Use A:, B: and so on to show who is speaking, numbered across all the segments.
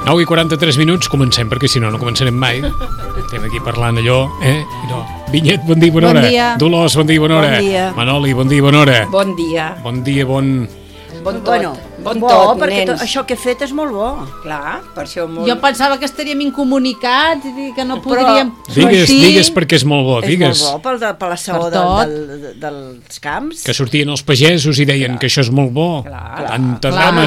A: 9 i 43 minuts, comencem, perquè si no, no començarem mai. Estem aquí parlant allò, No. Vinyet, bon dia, bona hora.
B: Bon dia.
A: Dolors, bon dia, bona hora.
B: Bon dia.
A: Manoli, bon dia, bona hora.
B: Bon dia.
A: Bon dia, bon
B: tot. Bon
C: bo,
B: tot,
C: perquè
B: nens.
C: això que he fet és molt bo.
B: Clar, per això molt...
D: Jo pensava que estaríem incomunicats i que no podríem
A: Digues,
D: sortir.
A: digues perquè és molt bo, digues.
C: És molt bo per la saó
D: Per
C: dels camps.
A: Que sortien els pagesos i deien que això és molt bo.
B: Clar.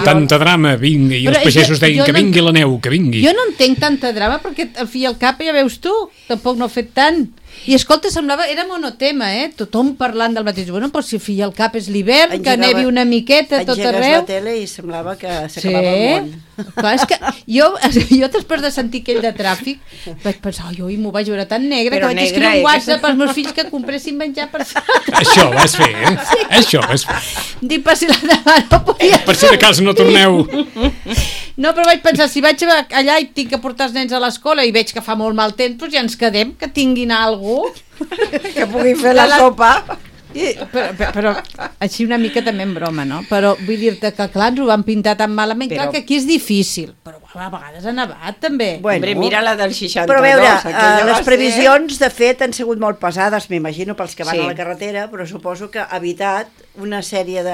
A: Tanta drama, vinga. I els
D: Però
A: pagesos deien
D: jo
A: que
D: no-
A: vingui la neu, que vingui.
D: Jo no entenc tanta drama perquè al fi i al cap ja veus tu, tampoc no he fet tant. I escolta, semblava, era monotema, tothom parlant del mateix. Bueno, però si al fi i al cap és l'hivern, que nevi una miqueta a tot
C: Engegues
D: arreu.
C: la tele i semblava que s'acabava el món.
D: Clar, és que jo després de sentir aquell de tràfic vaig pensar, oi, m'ho vaig veure tan negre
B: Però
D: que vaig
B: negre,
D: escriure un WhatsApp als meus fills que compressin menjar per
A: Això vas fer, Això vas fer.
D: dir per si la demà no podia.
A: Per si de cas no torneu.
D: No, però vaig pensar, si vaig allà i tinc que portar els nens a l'escola i veig que fa molt mal temps, doncs ja ens quedem, que tinguin algú.
C: Que pugui fer la sopa.
D: Però així una mica també en broma, no? Però vull dir-te que clar, ens ho van pintar tan malament, clar que aquí és difícil, però a vegades ha nevat també.
B: Hombre, mira la del 62.
C: Però a veure,
B: aquella va
C: les
B: ser-
C: previsions de fet han sigut molt pesades, m'imagino, pels que van
B: Sí.
C: a la carretera, però suposo que ha evitat una sèrie de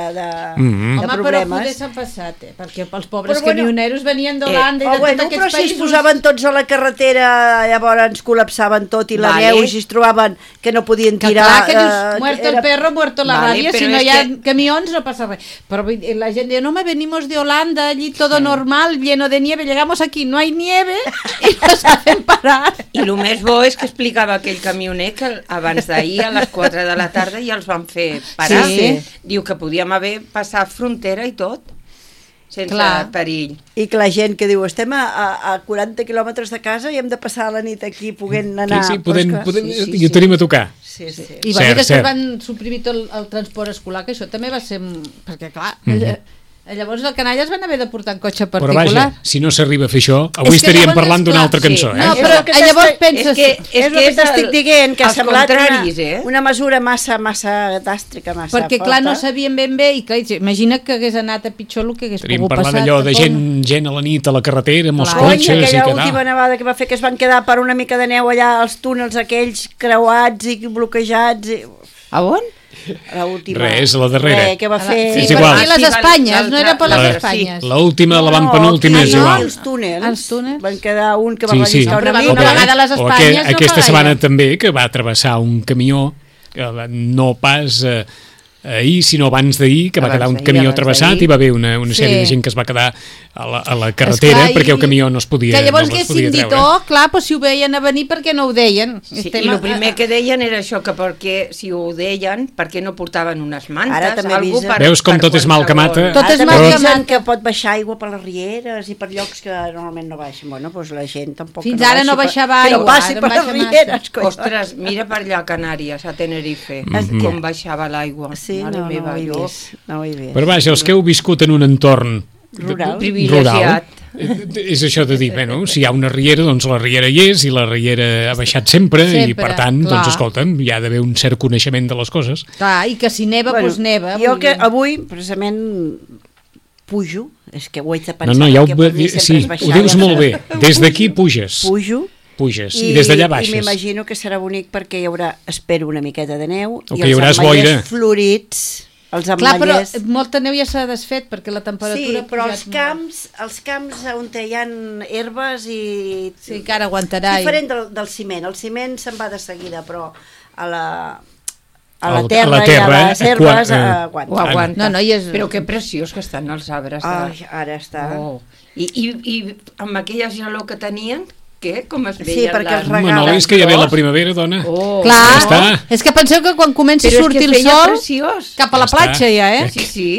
D: Home, però
C: problemes.
D: poder s'ha passat, perquè els pobres
C: Però bueno,
D: camioneros venien d'Holanda i de
C: bueno,
D: tots
C: però
D: aquests
C: si es
D: països.
C: posaven tots a la carretera, llavors col·lapsaven tot i la
B: Vale.
C: neu, i si es trobaven que no podien
D: Que
C: tirar...
D: clar, que dius, muerto el perro, muerto la
B: Vale,
D: ràbia, si
B: però
D: no
B: és
D: hi ha
B: que-
D: camions no passa res. Però vull dir, la gent diu, no, venimos de Holanda, allí todo normal, lleno de nieve, llegamos aquí, no hay nieve, y nos hacen parar.
B: I el més bo és que explicava aquell camioner que abans d'ahir a les 4 de la tarda ja els van fer parar.
D: Sí.
B: Diu que podíem haver passat frontera i tot, sense
D: Clar.
B: perill.
C: I que la gent que diu, estem a 40 quilòmetres de casa i hem de passar la nit aquí podent anar...
A: Sí,
C: Però és que-
A: podem,
C: sí,
A: i ho tenim a tocar.
C: sí, sí.
D: I va dir
A: Cert,
D: que
A: cert.
D: van suprimir tot el transport escolar, que això també va ser... Perquè clar, llavors el canalla es van haver de portar en cotxe
A: Però
D: particular.
A: vaja, si no s'arriba a fer això, avui
D: És que
A: estaríem
D: llavors,
A: parlant d'una
D: clar,
A: altra cançó,
B: sí.
D: No,
C: És
D: però
C: el que
D: llavors
C: t'estic-
D: penses...
C: És el que t'estic dient, que ha
B: els
C: semblat
B: contraris,
C: una mesura massa dàstrica, massa
D: perquè clar, no
C: forta.
D: sabien ben bé i clar, imagina que hagués anat a pitjor el que hagués
A: Estaríem
D: pogut
A: parlant
D: passar.
A: allò de
D: tampoc.
A: gent a la nit a la carretera amb els
D: Clar.
C: Cony,
A: cotxes i
C: aquella
A: que
C: última nevada que va fer que es van quedar per una mica de neu allà als túnels aquells creuats i bloquejats i...
B: A on?
C: L'última.
A: Res, la darrera.
C: Que va fer...
D: Sí,
A: És
D: per
A: igual.
D: aquí les
B: Sí,
D: Espanyes, no era per les
A: La-
D: Espanyes.
A: L'última, la van
C: No,
A: penúltima, és
C: aquí,
A: igual.
C: Els túnels.
D: Els túnels.
C: Van quedar un que va
A: Sí, sí.
C: relliscar
D: Però
C: una
D: va
C: mica.
D: una vegada a les
A: o
D: Espanyes no
A: aquesta
D: fa
A: setmana
D: gaire.
A: també, que va travessar un camió, que no pas ahir, sinó abans d'ahir, que va
B: Abans
A: quedar un
B: d'ahir,
A: camió
B: abans
A: travessat
B: d'ahir.
A: i va haver una sèrie
D: Sí.
A: de gent que es va quedar a la carretera
D: Esclar,
A: perquè el camió no es podia,
D: que llavors
A: no es
D: haguessin
A: podia
D: dit,
A: treure.
D: clar, però si ho veien a venir, per què no ho deien?
B: Sí, i el primer que deien era això, que perquè, si ho deien, per què no portaven unes mantes?
C: Ara també
B: algú
C: avisen.
A: Veus com tot és mal que mata?
D: Tot és
C: Ara
D: mal
C: també
D: que
C: avisen
D: mata.
C: que pot baixar aigua per les rieres i per llocs que normalment no baixen. Bueno, doncs la gent tampoc...
D: Fins
C: que
D: ara no
C: baixi
D: baixava
C: que no
D: aigua,
C: passi
D: ara
C: per les
D: baixa massa.
C: rieres, coi.
B: Ostres, mira per allà a Canàries, a Tenerife, com baixava l'aigua.
C: Sí,
B: Mare
C: no
B: meva,
C: ho he
B: jo.
C: vist. No ho he vist.
A: Però vaja, els que heu viscut en un entorn
C: Rural.
B: Privilegiat.
A: És això de dir, bueno, si hi ha una riera, doncs la riera hi és, i la riera ha baixat sempre i per tant,
D: clar.
A: doncs escolta'm, hi ha d'haver un cert coneixement de les coses.
D: Clar, i que si neva, doncs neva.
C: Jo que avui, precisament, pujo, és que ho haig de pensar.
A: No, ja
C: perquè per mi sempre
A: sí,
C: és baixar.
A: ho dius molt bé. Des d'aquí puges.
C: Puges
A: I des d'allà
C: I
A: baixes.
C: m'imagino que serà bonic perquè hi haurà, espero, una miqueta de neu
A: O
C: i
A: que hi
C: els
A: hauràs
C: ametllers
A: boira.
C: florits, els
D: Clar, però
C: ametllers...
D: molta neu ja s'ha desfet perquè la temperatura
C: Sí, però
D: ha pujat
C: els camps on hi ha herbes i...
D: Sí, que ara aguantarà.
C: Diferent del ciment. El ciment se'n va de seguida, però a la
A: A
C: terra,
A: la terra,
C: i a les herbes aguanta.
B: Ho aguanta.
D: No, no, i és...
B: Però que preciós que estan els arbres.
C: Ai, ara està...
B: Oh. I amb aquella gelor que tenien, què? Com es veien
C: Sí, perquè els
A: Home, no, és que ja ve la primavera, dona.
B: Oh.
D: Clar,
A: Ja està.
D: és que penseu que quan comença a
B: Però és
D: sortir
B: que
D: el
B: feia
D: sol,
B: preciós.
D: cap a la
A: Ja està.
D: platja ja, eh?
B: Sí, sí.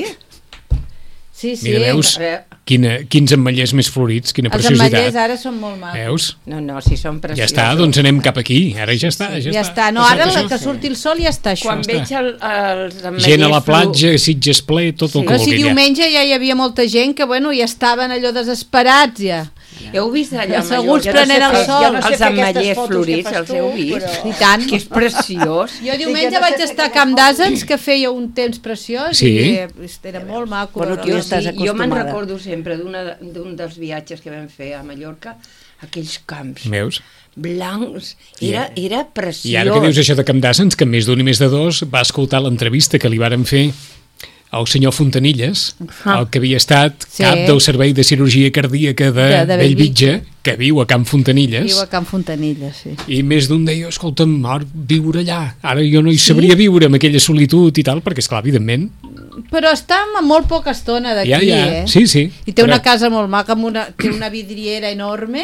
D: Sí, sí.
A: Mira, veus quins ametllers més florits, quina
D: Els ametllers
A: preciositat.
D: ara són molt macos.
A: Veus?
B: No, si són preciosos.
A: Ja està, doncs anem cap aquí. Ara ja està,
D: Ja està. No, ara que surti el sol ja està això.
B: Quan veig els ametllers...
A: Gent a la platja, Sitges ple, tot el
D: Però
A: que
D: si
A: vulgui.
D: diumenge ja hi havia molta gent que, bueno, ja estaven allò desesperats, ja.
B: Heu vist allà a
D: Asseguts
B: Mallorca?
D: prenent el sol.
C: Jo no sé
B: Els
C: fer aquestes
B: ametllers
C: fotos que
B: florits,
C: fas
B: els heu
C: tu,
B: vist?
C: però-
D: I tant.
B: Que és preciós.
D: Jo diumenge
C: no sé
D: vaig
C: fer
D: estar a
C: aquelles
D: Camp
C: fotos.
D: d'Asens, que feia un temps preciós,
A: Sí.
D: i era molt maco.
C: Bueno,
D: veure-ho.
C: tu ja estàs
B: Jo me'n
C: acostumada.
B: recordo sempre d'un dels viatges que vam fer a Mallorca, aquells camps
A: Veus?
B: blancs, era preciós.
A: I ara que dius això de Camp d'Asens, que més d'un i més de dos va escoltar l'entrevista que li varen fer al senyor Fontanilles, el que havia estat
D: Sí.
A: cap del Servei de Cirurgia Cardíaca de
D: De
A: Bellvitge, que viu a Camp Fontanilles,
D: Viu a Can Fontanilla, sí.
A: i més d'un deia, escolta'm, ara viure allà, ara jo no hi sabria viure amb aquella solitud i tal, perquè, esclar, evidentment,
D: Però està a molt poca estona d'aquí,
A: ja,
D: eh?
A: sí, sí.
D: I té una
A: Però-
D: casa molt maca, té una vidriera enorme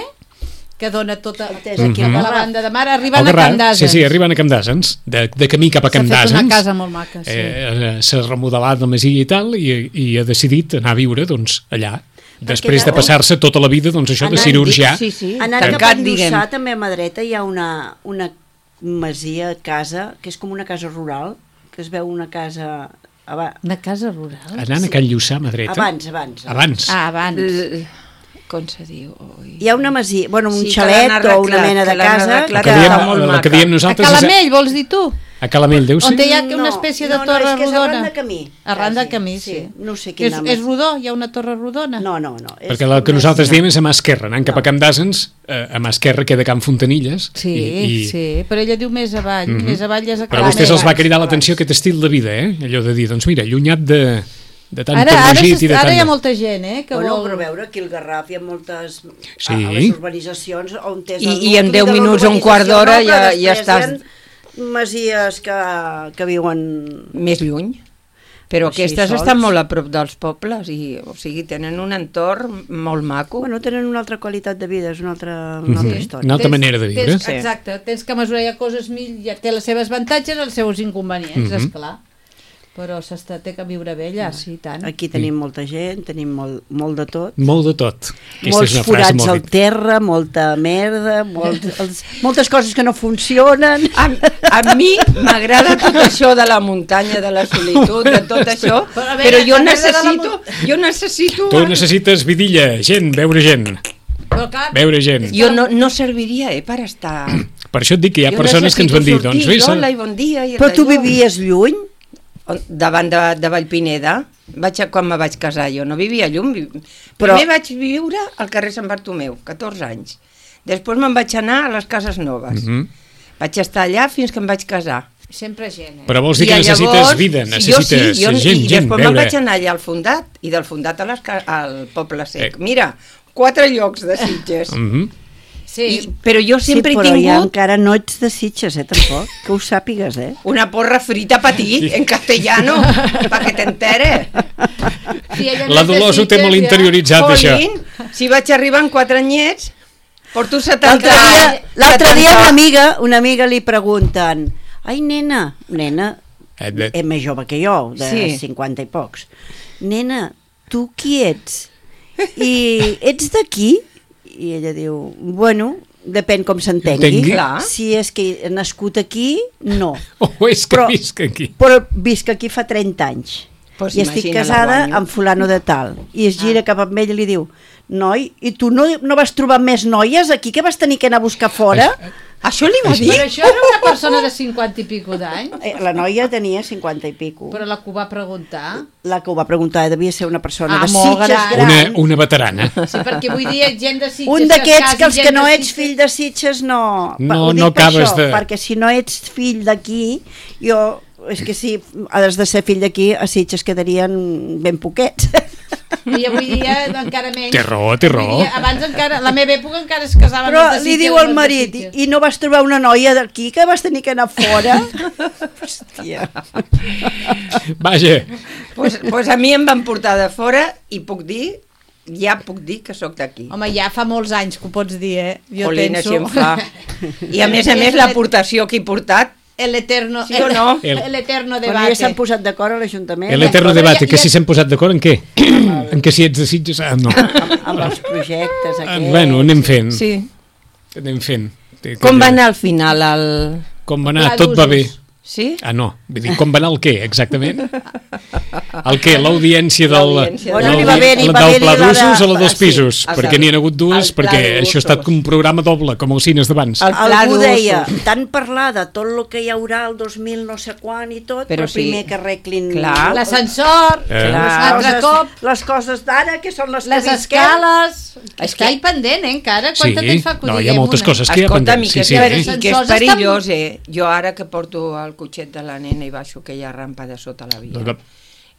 D: que dona tota
C: És aquí
D: a
C: al
D: la
C: Garraf.
D: banda de mar, arribant
A: Al
D: a
A: Garraf,
D: Camp d'Asens.
A: sí, arribant a Camp d'Asens, de camí cap a Camp
D: S'ha fet una
A: d'Asens.
D: casa molt maca, sí.
A: S'ha remodelat la masia i tal, i ha decidit anar a viure, doncs, allà. Després de passar-se tota la vida, doncs, això de
C: Anant-
A: cirurgià.
B: Sí,
C: Anant cap a
B: tancat, diguem.
C: Lluçà, també a mà dreta, hi ha una masia, casa, que és com una casa rural, que es veu una casa...
D: Una casa rural?
A: Anant a Can Lluçà, a mà dreta.
C: Abans.
D: Ah, abans.
B: Com se diu? Ui.
C: Hi ha una masia, bueno, un
B: Sí, que
C: xalet
B: l'han
C: o una
B: arreglat,
C: mena de
B: que l'han
C: casa...
B: arreglat,
A: La que
B: que
A: diem,
B: està molt
A: la que
B: maca.
A: diem
D: A
A: nosaltres
D: Calamell, vols dir tu?
A: a Calamell, deu ser?
D: On hi ha una espècie de torre
C: és que és
D: rodona.
C: arran de camí.
D: Arran de
C: quasi.
D: camí, sí.
C: No sé
D: És,
C: quin nom
D: és rodó? Hi ha una torre rodona?
C: No.
A: Perquè el que nosaltres diem és a mà esquerra, anant cap a Camp d'Asens, a mà esquerra queda Camp Fontanilles.
D: Sí, sí, però ella diu més avall, més avall ja és a
A: Però a
D: Calamell.
A: vostès els va cridar l'atenció aquest estil de vida, allò de dir, doncs mira, allunyat de tant
D: Ara
A: perlogit i de
D: hi ha
A: tant...
D: molta gent, que
C: Bueno,
D: vol...
C: però veure, aquí al Garraf hi ha moltes...
A: Sí.
C: A les urbanitzacions on tens...
B: I en 10 minuts o un quart d'hora ja estàs...
C: Masies que viuen...
B: Més lluny. Però
C: Així
B: aquestes
C: sols.
B: estan molt a prop dels pobles i, o sigui, tenen un entorn molt maco.
C: Bueno, tenen una altra qualitat de vida, és una altra història.
A: Una altra manera de viure.
D: Tens, exacte, tens que mesurar ja coses ja té les seves avantatges i els seus inconvenients, esclar. Però té que viure bé allà, sí, i tant.
C: Aquí tenim molta gent, tenim molt de tot.
A: Molt de tot. Aquesta
C: Molts
A: és una frase
C: forats
A: molt
C: al terra, molta merda, moltes coses que no funcionen.
B: A mi m'agrada tot això de la muntanya, de la solitud, de tot això,
D: Però a veure,
B: però jo
D: t'agrada
B: necessito...
A: Tu necessites vidilla, gent, veure gent.
D: Però clar,
A: Veure gent.
B: Jo no serviria, per estar...
A: Per això et dic que hi ha
B: Jo
A: persones que ens van dir,
B: necessito
A: doncs
B: sortir,
A: vés...
B: hola i bon dia. I
C: Però tu
B: allò.
C: vivies lluny?
B: Davant de Vallpineda, quan me vaig casar, jo no vivia lluny.
C: Però-
B: Primer vaig viure al carrer Sant Bartomeu, 14 anys. Després me'n vaig anar a les Cases Noves. Vaig estar allà fins que em vaig casar.
D: sempre gent,
A: Però vols dir que
B: I
A: necessites
B: llavors,
A: vida,
B: jo
A: necessites
B: jo,
A: gent,
B: i
A: gent,
B: després me'n vaig
A: veure.
B: anar allà al Fundat, i del Fundat al Poble Sec. Mira, 4 llocs de Sitges.
D: Sí,
B: Però jo sempre
C: sí,
B: he
C: però ja
B: tingut
C: encara no ets de Sitges, tampoc, que ho sàpigues,
B: una porra frita per ti, en castellano, para que t'entere.
D: sí, ella
A: La
D: no és de
A: Dolors ho té
D: Sitges,
A: molt
D: ja.
A: interioritzat, això.
B: Jolín, si vaig arribar amb 4 anyets, porto 70
C: L'altre dia una amiga li pregunten, ai, nena, és més jove que jo, de
B: Sí.
C: 50 i pocs, nena, tu qui ets? I ets d'aquí? I ella diu, bueno, depèn com s'entengui.
A: Entengui.
B: Clar.
C: Si és que he nascut aquí, no.
A: O és que visc aquí.
C: Però visc aquí fa 30 anys.
B: Pues
C: i estic
B: imagina la
C: casada
B: guanyo.
C: amb fulano de tal. I es gira cap amb ell i li diu, noi, i tu no vas trobar més noies aquí que vas tenir que anar a buscar fora?
B: Això li va dir?
D: Però això era una persona de 50 i pico d'anys,
C: La noia tenia 50 i pico.
D: però la que ho va preguntar...
C: La que ho va preguntar devia ser una persona de
D: molt
C: Sitges
D: gran.
C: gran.
A: Una veterana.
D: Sí, perquè vull dir, gent de Sitges...
C: Un d'aquests que els
D: es casi,
C: que no
D: gent de
C: ets
D: Sitges-
C: fill de Sitges no...
A: No,
C: Ho dic
A: no
C: per
A: acabes
C: això,
A: de-
C: perquè si no ets fill d'aquí, jo... És que si has de ser fill d'aquí, a Sitges quedarien ben poquets.
D: I avui dia encara menys.
A: Té raó, té raó.
D: Avui dia, abans encara, a la meva època encara es casaven
C: Però
D: els de
C: li
D: Sitges
C: diu
D: amb
C: al
D: els de
C: marit,
D: Sitges.
C: i no vas trobar una noia d'aquí que vas tenir que anar fora? Hòstia.
A: Vaja,
B: Pues a mi em van portar de fora i ja puc dir que sóc d'aquí.
D: Home, ja fa molts anys que ho pots dir, eh? Jo
B: Jolina,
D: penso...
B: si em fa. I a més, l'aportació que he portat,
D: El eterno,
B: Sí o no?
D: el eterno
C: Bueno,
D: debate.
C: ja s'han posat d'acord a l'Ajuntament
A: el eterno debate, que
D: ja-
A: si s'han posat d'acord en què? En què si ets de Sitges? Ah, no.
C: amb els projectes aquests.
A: Bueno, anem fent.
B: sí.
A: Anem fent.
B: Com va anar al final?
A: Com va anar?
D: Pla
A: Tot va bé.
D: d'usos.
B: Sí?
A: Ah, no. Vull dir, com va anar el què, exactament? El què? L'audiència
B: L'audiència
C: Bueno, n'hi va haver, n'hi va
A: del
C: haver
A: pla
C: la de-
A: d'usos o la dels
B: Sí,
A: pisos?
B: el
A: Perquè
B: de-
A: n'hi ha hagut dues,
B: el pla
A: perquè
B: d'usos.
A: això ha estat un programa doble, com els cines d'abans.
B: El pla
C: Algú
B: d'usos.
C: deia, tant parlar de tot el que hi haurà el 2000 no sé quan i tot,
B: Però
C: però primer
B: sí.
C: que arreglin
B: Clar.
D: L'ascensor, l'altre cop,
C: les coses d'ara, que són les
D: les
C: que visquem.
D: escales...
B: És
D: Està
B: que-
D: hi pendent, encara?
A: Sí,
D: Quanta temps fa que ho
A: no, hi
D: diguem?
A: ha moltes
D: Una?
A: coses que hi ha
B: Escolta,
A: pendents.
B: i que,
A: Sí,
B: és,
A: sí.
B: i que és
D: Sensors estan-
B: perillós, Jo ara que porto el cotxet de la nena i baixo aquella rampa de sota la via,
A: Doncs,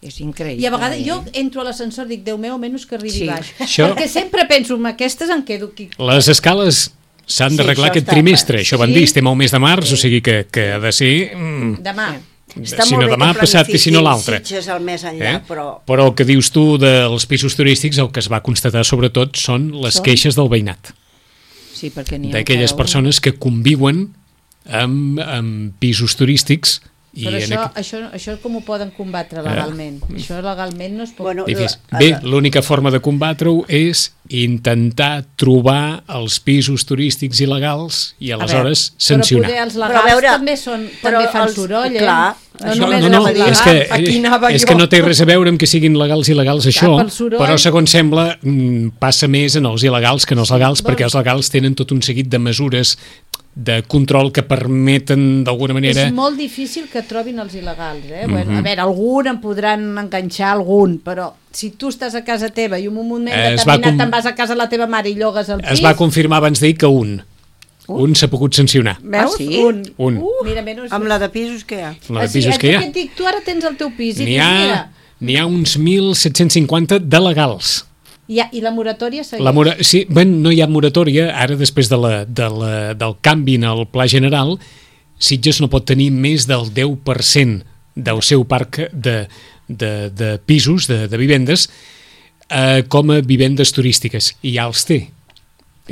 B: és increïble.
D: I a vegades jo entro a l'ascensor i dic, Déu meu, menys que arribi
B: Sí.
D: baix.
A: Això-
D: Perquè sempre penso, amb aquestes em quedo aquí.
A: Les escales s'han
C: Sí,
A: d'arreglar
C: això
A: aquest
C: està-
A: trimestre, això van
D: Sí.
A: dir, estem al mes de març, o sigui que ha de ser...
D: Demà.
C: Està
A: si
C: molt
A: no
C: bé
A: demà
C: que
A: passat i si no
C: planifiquin
A: l'altre.
C: Sitges al més enllà,
A: Però el que dius tu dels pisos turístics, el que es va constatar sobretot són les queixes del veïnat,
B: Sí, perquè n'hi ha
A: d'aquelles
B: encara un.
A: persones que conviuen amb pisos turístics i
D: Però
A: en
D: això com ho poden combatre legalment? Això legalment no es pot...
C: Bueno,
A: Difícil. Bé, l'única forma de combatre-ho és intentar trobar els pisos turístics il·legals i aleshores sancionar.
D: Però poder els
C: Però a
D: legals
C: veure,
D: també,
C: però
D: també fan
C: els-
D: soroll,
C: clar,
D: No
C: això-
D: només
A: No,
D: la
A: no,
D: medida.
A: és que,
B: Aquí anava
A: és
B: jo.
A: que no té res a veure amb que siguin legals i il·legals això,
D: pel soroll.
A: però segons sembla passa més en els il·legals que en els legals, perquè els legals tenen tot un seguit de mesures de control que permeten d'alguna manera...
D: És molt difícil que trobin els il·legals, eh? Bueno, a veure, algun en podran enganxar algun, però si tu estàs a casa teva i en un moment
A: Es va
D: determinat
A: com-
D: te'n vas a casa de la teva mare i llogues el pis...
A: Es va confirmar abans d'ahir que un s'ha pogut sancionar.
D: Veus?
B: Ah, sí?
A: Un.
D: Mira, menys...
C: amb la de pisos que hi ha.
A: La de pisos que hi ha.
D: Et dic, tu ara tens el teu pis i
A: N'hi
D: dius,
A: ha,
D: mira,
A: uns 1.750 de legals.
D: i la moratòria segueix.
A: Sí, no hi ha moratòria, ara després del canvi en el Pla General, Sitges no pot tenir més del 10% del seu parc de pisos, de vivendes, com a vivendes turístiques, i ja els té.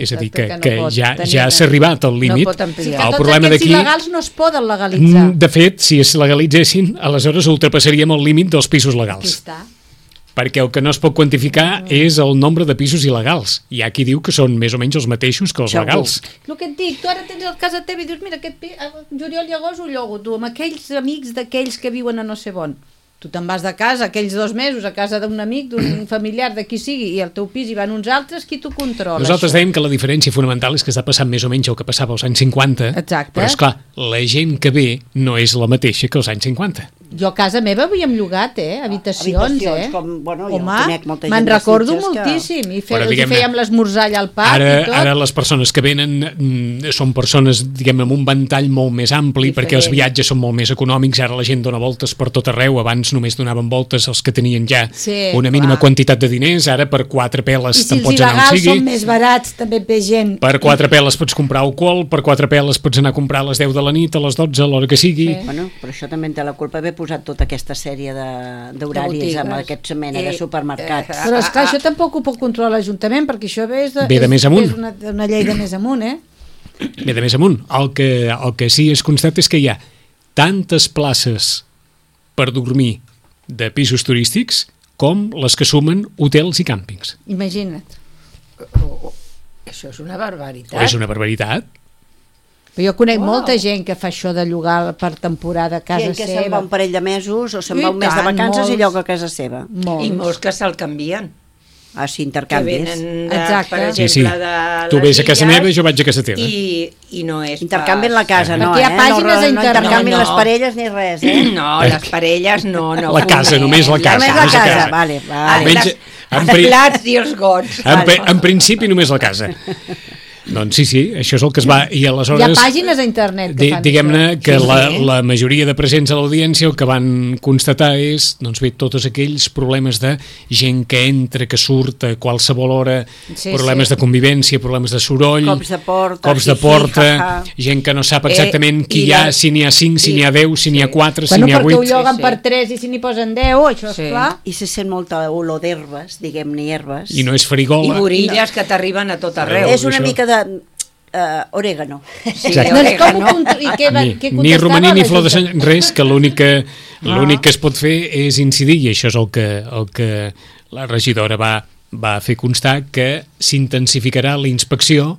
A: És a dir, que
D: Exacte, que no pot
A: ja
D: tenir-
A: s'ha arribat al límit.
B: pot ampliar.
D: Que
A: El
D: tots
A: problema
D: aquests
A: d'aquí...
D: il·legals no es poden legalitzar.
A: De fet, si es legalitzessin, aleshores ultrapassaríem el límit dels pisos
D: Aquí
A: legals.
D: està.
A: Perquè el que no es pot quantificar és el nombre de pisos il·legals. Hi ha qui diu que són més o menys els mateixos que els
C: Segur.
A: legals.
D: El que et dic, tu ara tens el casa teva i dius, mira, aquest juliol i agost ho llogo, tu, amb aquells amics d'aquells que viuen a no sé on. Tu te'n vas de casa aquells 2 mesos a casa d'un amic, d'un familiar, de qui sigui, i al teu pis hi van uns altres, qui t'ho controla?
A: Nosaltres
D: això?
A: dèiem que la diferència fonamental és que està passant més o menys el que passava als anys 50,
D: Exacte.
A: però esclar, la gent que ve no és la mateixa que als anys 50.
D: Jo a casa meva havíem llogat, habitacions,
C: com, bueno, jo
D: Home,
C: conec molta gent
D: me'n
C: de
D: recordo
C: Sitges que-
D: moltíssim, i
A: Però,
D: els hi
A: diguem-ne,
D: fèiem l'esmorzar allà al parc i tot.
A: Ara les persones que venen són persones, diguem, amb un ventall molt més ampli,
D: Diferent.
A: perquè els viatges són molt més econòmics, ara la gent dona voltes per tot arreu, abans només donaven voltes els que tenien ja
D: Sí,
A: una mínima
D: clar.
A: quantitat de diners, ara per 4 peles
D: I si
A: te'n
D: els
A: pots anar on
D: il·legals
A: sigui.
D: són més barats, també ve gent.
A: Per 4 peles pots comprar alcohol, per 4 peles pots anar a comprar a les 10 de la nit, a les 12, a l'hora que sigui.
D: Sí.
C: Bueno, però això també en té la culpa haver posat tota aquesta sèrie d'horaris
B: botigues.
C: amb aquesta mena de supermercats.
D: Però esclar, això tampoc ho pot controlar l'Ajuntament, perquè això ve
A: Ve de més amunt.
D: És una llei de més amunt,
A: Ve de més amunt. El que sí es constata és que hi ha tantes places per dormir de pisos turístics com les que sumen hotels i càmpings.
D: Imagina't.
B: Això és una barbaritat.
A: És una barbaritat.
D: Però jo conec molta gent que fa això de llogar per temporada a casa
C: Gent que se'n va
D: seva.
C: un parell de mesos o se'n
D: I
C: va un mes de
D: tant,
C: vacances
D: molts.
C: i lloga a casa seva.
D: Molts.
B: I molts que se'l canvien.
C: Ah, sí,
B: Que
C: intercanvis.
B: venen,
D: Exacte.
B: per
A: Sí,
B: exemple,
A: sí.
B: de
A: Tu
B: les
A: vés a casa
B: Illes
A: meva i jo vaig a casa teva.
B: I no és
C: Intercanvien la casa, no,
D: Perquè hi ha pàgines
C: no,
D: a internet.
C: intercanvien
B: No, no.
C: les parelles ni res,
B: No, les parelles no.
A: La casa, només la casa.
C: Només la
A: només la
C: casa,
A: casa.
C: vale.
A: Almenys,
B: Els
A: en pri-
B: plats i els gots.
A: En principi només la casa. Doncs sí, això és el que es va... I
D: Hi ha
A: aleshores,
D: pàgines a internet que fan
A: diguem-ne
D: això.
A: que
B: Sí, sí.
A: la majoria de presents a l'audiència el que van constatar és, doncs bé, tots aquells problemes de gent que entra, que surt a qualsevol hora,
D: Sí,
A: problemes
D: sí.
A: de convivència, problemes de soroll,
C: Cops de porta,
A: cops de
C: hi-hi,
A: porta,
C: ha-ha.
A: gent que no sap exactament qui
B: i
A: hi ha,
B: la-
A: si n'hi ha 5, si n'hi ha 10, si n'hi ha 4, si
D: Bueno,
A: n'hi ha
D: perquè ho
A: 8...
D: lloguen
B: Sí, sí.
D: per 3 i si n'hi posen 10, això
B: Sí.
D: és clar.
C: I se sent molta olor d'herbes, diguem-ne herbes.
A: I no és
B: I
A: farigola.
B: borilles que t'arriben a tot arreu.
C: És una
A: això.
C: mica de orégano.
B: Sí,
A: Exacte.
D: Doncs com ho
B: orégano.
D: i què,
A: Ni,
D: què
A: ni romaní
D: contestava
A: ni
D: la
A: flor de
D: Junta?
A: sant, res, que l'únic que es pot fer és incidir, i això és el que la regidora va fer constar, que s'intensificarà la inspecció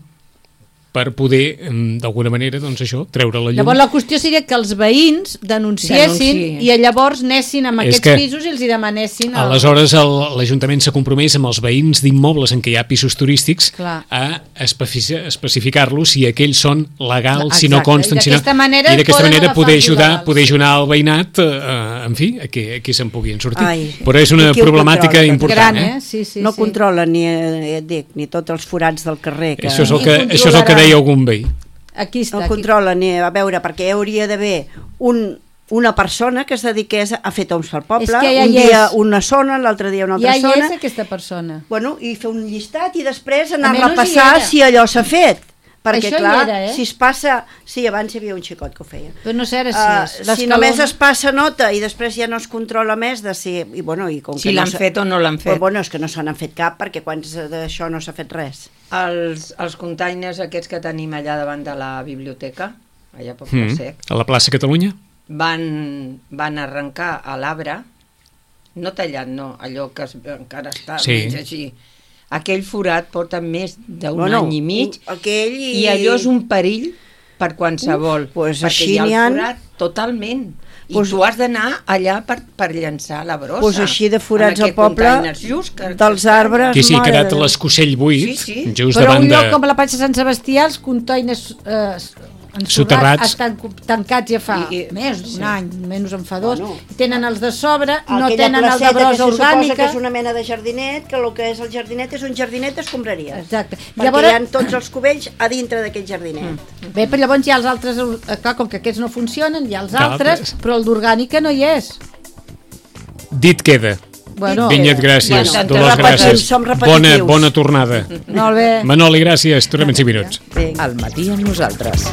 A: per poder, d'alguna manera, doncs això, treure la llum.
D: Llavors la qüestió seria que els veïns denunciessin
B: Denunciï.
D: i llavors anessin amb
A: És
D: aquests
A: que
D: pisos i els hi demanessin...
A: Aleshores, l'Ajuntament s'ha compromès amb els veïns d'immobles en què hi ha pisos turístics
D: Clar.
A: a especificar-los si aquells són legals, si no
D: Exacte.
A: consten,
D: I
A: si no...
D: d'aquesta manera
A: I d'aquesta
D: poden
A: manera
D: agafar
A: poder
D: els
A: ajudar,
D: il·legals.
A: el veïnat, en fi, a que se'n puguin sortir.
C: Ai,
A: Però és una
C: i qui ho
A: problemàtica
C: controla?
A: important,
D: Gran, Sí, sí,
C: No
D: sí.
C: controla ni, et dic, ni tots els forats del carrer. Que
A: Això és el
D: I
A: que, això és el que
D: controlaran.
A: deia algun veí.
D: Aquí està.
C: no
D: Aquí.
C: controla ni a veure, perquè hi hauria d'haver una persona que es dediqués a fer toms pel poble,
D: És que ja
C: un
D: hi
C: dia
D: és.
C: una zona, l'altre dia una altra
D: Ja hi
C: zona,
D: és aquesta persona.
C: bueno, i fer un llistat i després anar a
D: Almenys hi
C: repassar
D: era.
C: si allò s'ha fet. Perquè,
D: Això hi
C: clar,
D: era,
C: si es passa... Sí, abans hi havia un xicot que ho feia.
D: Però no sé ara si és.
C: Si només es passa nota i després ja no es controla més de si... I, bueno, i com
B: Si
C: que no
B: l'han fet o no l'han fet.
C: Però, bueno, és que no se n'han fet cap perquè quan d'això no s'ha fet res.
B: Els containers aquests que tenim allà davant de la biblioteca, allà a poc de sec,
A: A la plaça Catalunya?
B: van arrencar a l'arbre, no tallat, no, allò que encara està
A: Sí.
B: mig així. Aquell forat porta més d'un
C: Bueno,
B: any i mig
C: aquell
B: i allò és un perill per qualsevol,
C: pues
B: perquè
C: així
B: hi ha
C: n'hi
B: el
C: han.
B: forat totalment. I
C: Pues-
B: tu has d'anar allà per llançar la brossa.
C: Doncs així de forats
B: en
C: al
B: aquest
C: poble,
B: containers just
C: dels arbres.
A: Sí, ha
C: mare
A: quedat
C: de Déu.
A: l'escucell buit,
B: Sí, sí.
A: just
D: Però
A: davant
D: un lloc
A: de...
D: com la platja Sant Sebastià, els containers
A: Soterrats.
D: estan tancats ja fa més d'un any, menys en fa 2. Tenen els de sobre, no
C: Aquella
D: tenen el de
C: placeta que
D: brossa
C: se suposa
D: orgànica.
C: que és una mena de jardinet, que el que és el jardinet és un jardinet escombraria.
D: Exacte.
C: Perquè
D: Llavors-
C: hi ha tots els cubells a dintre d'aquest jardinet.
D: Bé, però llavors hi ha els altres, clar, com que aquests no funcionen, hi ha els
A: Clar,
D: altres, però el d'orgànica no hi és.
A: Dit queda.
D: Bueno,
A: Vinyet, gràcies.
B: Bueno,
A: Dolors,
C: repetim,
A: gràcies.
C: som repetitius.
A: Bona tornada.
D: molt bé.
A: Manoli, gràcies. Tornem en 5 minuts.
C: Vinga.
E: Al matí amb nosaltres.